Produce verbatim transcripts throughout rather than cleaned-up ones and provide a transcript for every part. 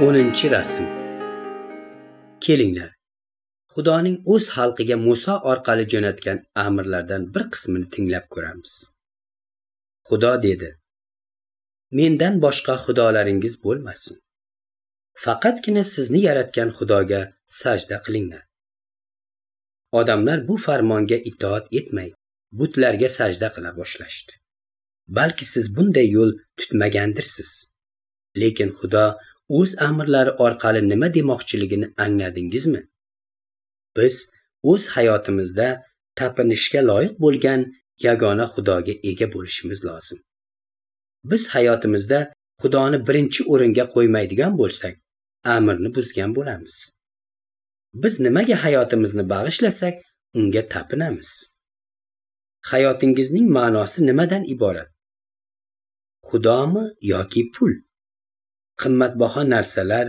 O'ninchi rasm. Kelinglar, Xudoning o'z xalqiga Musa orqali jo'natgan amrlardan bir qismini tinglab ko'ramiz. Xudo dedi: Mendan boshqa xudolaringiz bo'lmasin. Faqatgina sizni yaratgan Xudoga sajda qilinglar. Odamlar bu farmonga itoat etmay, butlarga sajda qila boshlashdi. Balki siz bunday yo'l tutmagandirsiz. Lekin Xudo o'z amrlari orqali nima demoqchiligini angladingizmi? Biz o'z hayotimizda tapinishga loyiq bo'lgan yagona Xudoga ega bo'lishimiz lozim. Biz hayotimizda Xudoni birinchi o'ringa qo'ymaydigan bo'lsak, amrni buzgan bo'lamiz. Biz nimaga hayotimizni bag'ishlasak, unga tapinamiz. Hayotingizning ma'nosi nimadan iborat? Xudomi yoki pul? Qimmatbaho narsalar,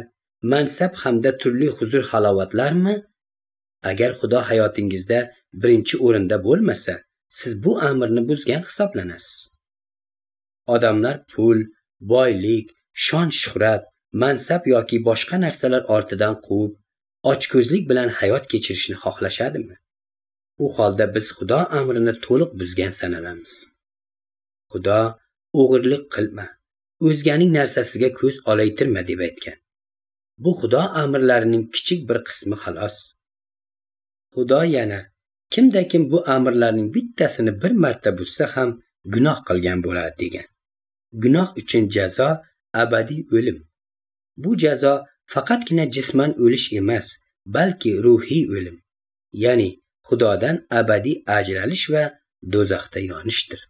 mansab hamda turli huzur-halovatlarmi? Agar Xudo hayotingizda birinchi o'rinda bo'lmasa, siz bu amrni buzgan hisoblanasiz. Odamlar pul, boylik, shon-shuhrat, mansab yoki boshqa narsalar ortidan quvib, ochko'zlik bilan hayot kechirishni xohlashadimi? U holda biz Xudo amrini to'liq buzgan sanalamiz. Xudo o'g'irlik qilma, o'zganing narsasiga ko'z olaytirma deb aytgan. Bu Xudo amrlarining kichik bir qismi xolos. Xudo yana kimda kim bu amrlarning bittasini bir marta buzsa ham gunoh qilgan bo'ladi degan. Gunoh uchun jazo abadiy o'lim. Bu jazo faqatgina jisman o'lish emas, balki ruhiy o'lim, ya'ni Xudodan abadiy ajralish va do'zaxda yonishdir.